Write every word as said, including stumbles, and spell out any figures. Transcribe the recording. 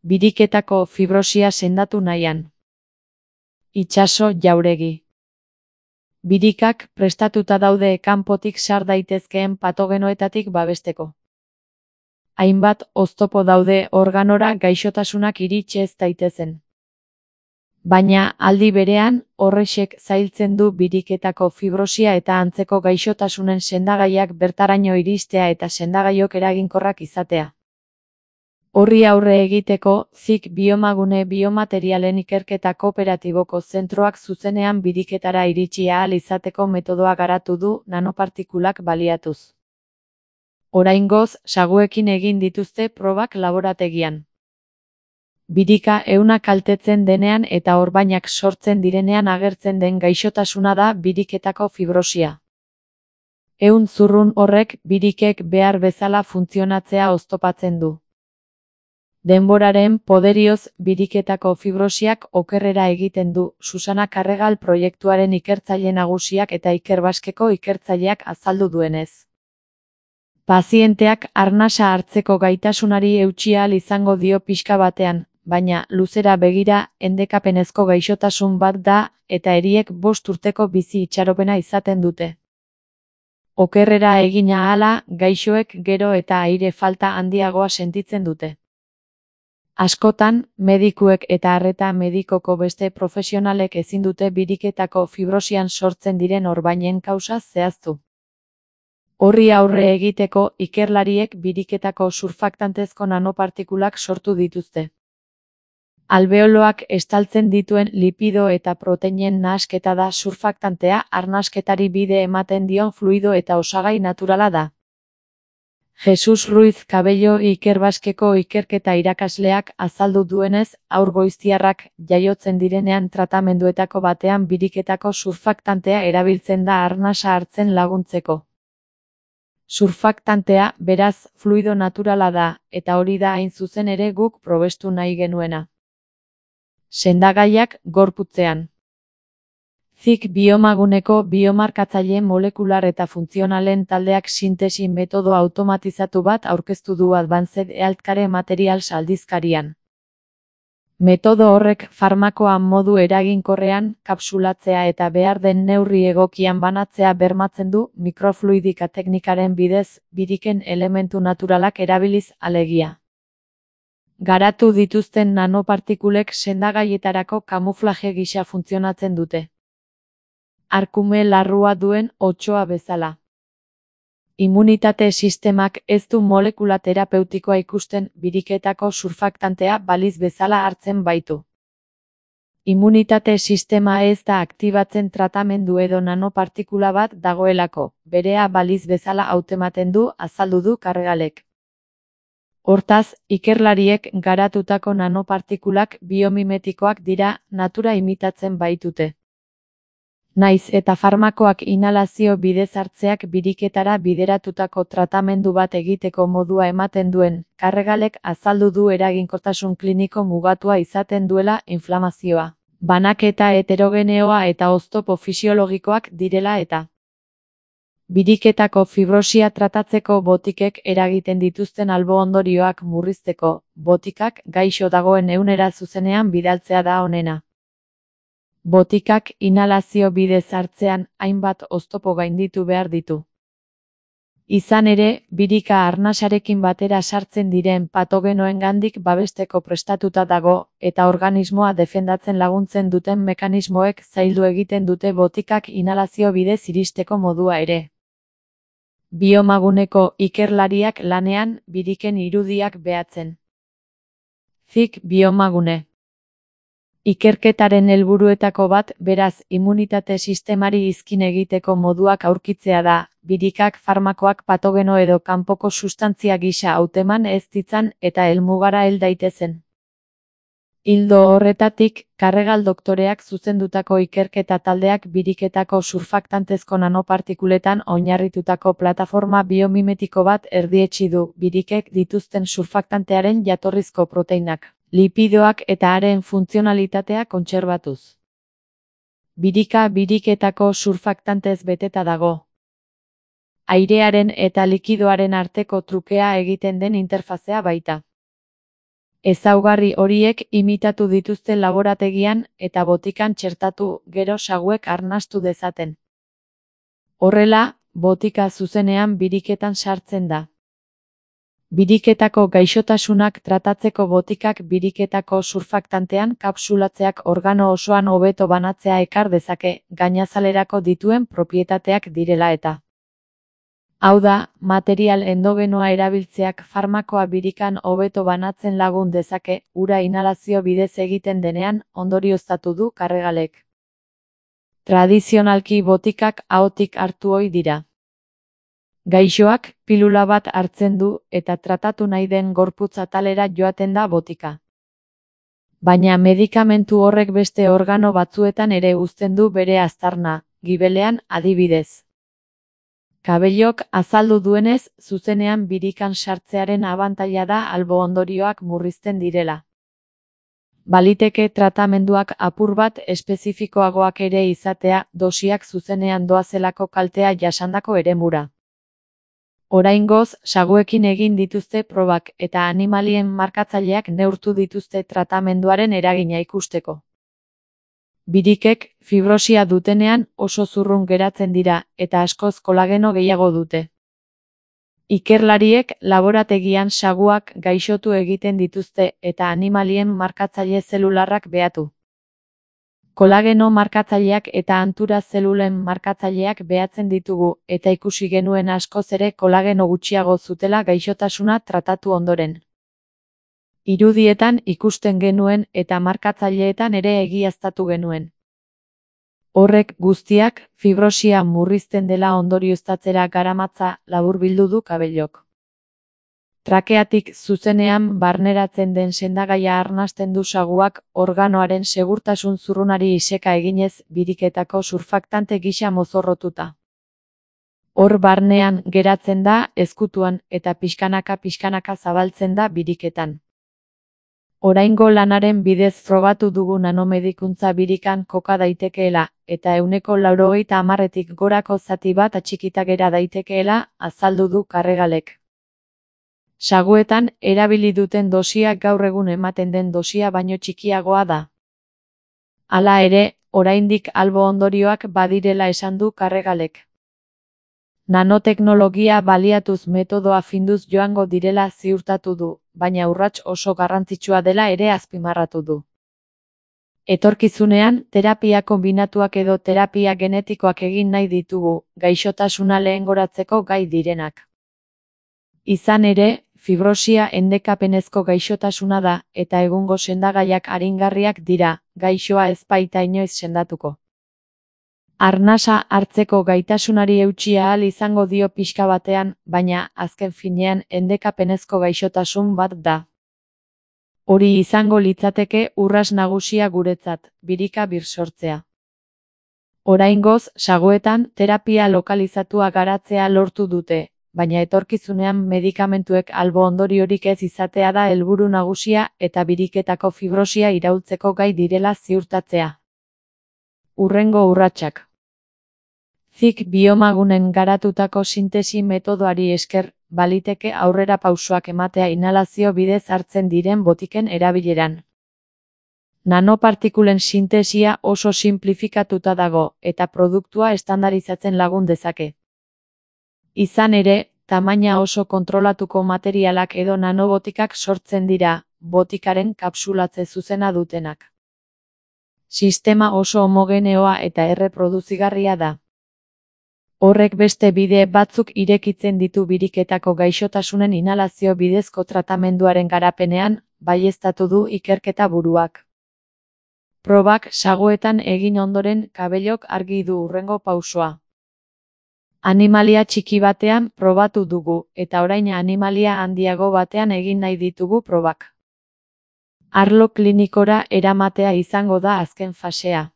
Biriketako fibrosia sendatu nahian. Itsaso jauregi. Birikak prestatuta daude kanpotik sar daitezkeen patogenoetatik babesteko. Hainbat oztopo daude organora gaixotasunak iritsi ez daitezen. Baina aldi berean, horrexek zailtzen du biriketako fibrosia eta antzeko gaixotasunen sendagaiak bertaraino iristea eta sendagaiok eraginkorrak izatea. Horri aurre egiteko, Z I C Biomagune biomaterialen ikerketa kooperatiboko zentroak zuzenean biriketara iritsi ahal izateko metodoa garatu du nanopartikulak baliatuz. Oraingoz, saguekin egin dituzte probak laborategian. Birika ehuna kaltetzen denean eta orbainak sortzen direnean agertzen den gaixotasuna da biriketako fibrosia. Ehun zurrun horrek birikek behar bezala funtzionatzea oztopatzen du. Denboraren poderioz biriketako fibrosiak okerrera egiten du, Susana Karregal proiektuaren ikertzaile nagusiak eta Ikerbasqueko ikertzaileak azaldu duenez. Pazienteak arnasa hartzeko gaitasunari eutsi ahal izango dio pixka batean, baina luzera begira endekapenezko gaixotasun bat da eta eriek bost urteko bizi itxaropena izaten dute. Okerrera egina ahala, gaixoek gero eta aire falta handiagoa sentitzen dute. Askotan, medikuek eta arreta medikoko beste profesionalek ezin dute biriketako fibrosian sortzen diren orbainen kausa zehaztu. Horri aurre egiteko, ikerlariek biriketako surfaktantezko nanopartikulak sortu dituzte. Albeoloak estaltzen dituen lipido eta proteinen nahasketa da surfaktantea, arnasketari bide ematen dion fluido eta osagai naturala da. Jesus Ruiz Cabello Ikerbasqueko ikerketa irakasleak azaldu duenez, haur goiztiarrak jaiotzen direnean tratamenduetako batean biriketako surfaktantea erabiltzen da arnasa hartzen laguntzeko. Surfaktantea, beraz, fluido naturala da, eta hori da hain zuzen ere guk probestu nahi genuena. Sendagaiak gorputzean. Z I C Biomaguneko biomarkatzaile molekular eta funtzionalen taldeak sintesi metodo automatizatu bat aurkeztu du Advanced Healthcare Materials aldizkarian. Metodo horrek farmakoa modu eraginkorrean kapsulatzea eta behar den neurri egokian banatzea bermatzen du mikrofluidika teknikaren bidez, biriken elementu naturalak erabiliz alegia. Garatu dituzten nanopartikulek sendagaietarako kamuflaje gisa funtzionatzen dute. Arkume larrua duen otsoa bezala. Immunitate sistemak ez du molekula terapeutikoa ikusten biriketako surfaktantea baliz bezala hartzen baitu. Immunitate sistema ez da aktibatzen tratamendu edo nanopartikula bat dagoelako, berea baliz bezala hautematen du azaldu du Karregalek. Hortaz, ikerlariek garatutako nanopartikulak biomimetikoak dira, natura imitatzen baitute. Naiz eta farmakoak inhalazio bidez hartzeak biriketara bideratutako tratamendu bat egiteko modua ematen duen, Karregalek azaldu du eraginkortasun kliniko mugatua izaten duela inflamazioa, banaketa heterogeneoa eta oztopo fisiologikoak direla eta biriketako fibrosia tratatzeko botikek eragiten dituzten albo-ondorioak murrizteko, botikak gaixo dagoen ehunera zuzenean bidaltzea da onena. Botikak inhalazio bidez hartzean hainbat oztopo gainditu behar ditu. Izan ere, birika arnasarekin batera sartzen diren patogenoengandik babesteko prestatuta dago, eta organismoa defendatzen laguntzen duten mekanismoek zaildu egiten dute botikak inhalazio bidez iristeko modua ere. Biomaguneko ikerlariak lanean, biriken irudiak behatzen. Z I C Biomagune. Ikerketaren helburuetako bat, beraz, immunitate sistemari izkin egiteko moduak aurkitzea da, birikak farmakoak patogeno edo kanpoko sustantzia gisa hauteman ez ditzan eta helmugara hel daitezen. Ildo horretatik, Karregal doktoreak zuzendutako ikerketa taldeak biriketako surfaktantezko nanopartikuletan oinarritutako plataforma biomimetiko bat erdietsi du, birikek dituzten surfaktantearen jatorrizko proteinak, lipidoak eta haren funtzionalitatea kontserbatuz. Birika biriketako surfaktantez beteta dago. Airearen eta likidoaren arteko trukea egiten den interfazea baita. Ezaugarri horiek imitatu dituzte laborategian eta botikan txertatu gero saguek arnastu dezaten. Horrela, botika zuzenean biriketan sartzen da. Biriketako gaixotasunak tratatzeko botikak biriketako surfaktantean kapsulatzeak organo osoan hobeto banatzea ekar dezake, gainazalerako dituen propietateak direla eta. Hau da, material endogenoa erabiltzeak farmakoa birikan hobeto banatzen lagun dezake, ura inhalazio bidez egiten denean, ondorioztatu du Karregalek. Tradizionalki botikak ahotik hartu ohi dira. Gaixoak pilula bat hartzen du eta tratatu nahi den gorputz atalera joaten da botika. Baina medikamentu horrek beste organo batzuetan ere uzten du bere aztarna, gibelean adibidez. Kabellok azaldu duenez, zuzenean birikan sartzearen abantaila da albo ondorioak murrizten direla. Baliteke tratamenduak apur bat espezifikoagoak ere izatea, dosiak zuzenean doazelako kaltea jasandako eremura. Oraingoz, saguekin egin dituzte probak eta animalien markatzaileak neurtu dituzte tratamenduaren eragina ikusteko. Birikek fibrosia dutenean oso zurrun geratzen dira eta askoz kolageno gehiago dute. Ikerlariek laborategian saguak gaixotu egiten dituzte eta animalien markatzaile zelularrak behatu. Kolageno markatzaileak eta antura zelulen markatzaileak behatzen ditugu eta ikusi genuen askoz ere kolageno gutxiago zutela gaixotasuna tratatu ondoren. Irudietan ikusten genuen eta markatzaileetan ere egiaztatu genuen. Horrek guztiak fibrosia murrizten dela ondorioztatzera garamatza laburbildu du Kabellok. Trakeatik zuzenean barneratzen den sendagaia arnasten du saguak organoaren segurtasun zurrunari iseka eginez biriketako surfaktante gisa mozorrotuta. Hor barnean geratzen da ezkutuan eta pixkanaka-pixkanaka zabaltzen da biriketan. Oraingo lanaren bidez frogatu dugu nanomedikuntza birikan koka daitekeela eta ehuneko laurogeita hamarretik gorako zati bat atxikita gera daitekeela azaldu du Karregalek. Saguetan erabili duten dosia gaur egun ematen den dosia baino txikiagoa da. Hala ere, oraindik albo ondorioak badirela esan du Karregalek. Nanoteknologia baliatuz metodoa finduz joango direla ziurtatu du, baina urrats oso garrantzitsua dela ere azpimarratu du. Etorkizunean, terapia konbinatuak edo terapia genetikoak egin nahi ditugu, gaixotasuna lehengoratzeko gai direnak. Izan ere, fibrosia endekapenezko gaixotasuna da, eta egungo sendagaiak aringarriak dira, gaixoa ez baita inoiz sendatuko. Arnasa hartzeko gaitasunari eutsi ahal izango dio pixka batean, baina, azken finean, endekapenezko gaixotasun bat da. Hori izango litzateke urras nagusia guretzat, birika birsortzea. Oraingoz, saguetan, terapia lokalizatua garatzea lortu dute, baina etorkizunean medikamentuek albo ondoriorik ez izatea da helburu nagusia eta biriketako fibrosia iraultzeko gai direla ziurtatzea. Hurrengo urratsak. Zik biomagunen garatutako sintesi metodoari esker, baliteke aurrera pausoak ematea inhalazio bidez hartzen diren botiken erabileran. Nanopartikulen sintesia oso sinplifikatuta dago eta produktua estandarizatzen lagun dezake. Izan ere, tamaina oso kontrolatuko materialak edo nanobotikak sortzen dira, botikaren kapsulatze zuzena dutenak. Sistema oso homogeneoa eta erreproduzigarria da. Horrek beste bide batzuk irekitzen ditu biriketako gaixotasunen inhalazio bidezko tratamenduaren garapenean, baieztatu du ikerketa buruak. Probak saguetan egin ondoren Kabellok argi du hurrengo pausoa. Animalia txiki batean probatu dugu, eta orain animalia handiago batean egin nahi ditugu probak. Arlo klinikora eramatea izango da azken fasea.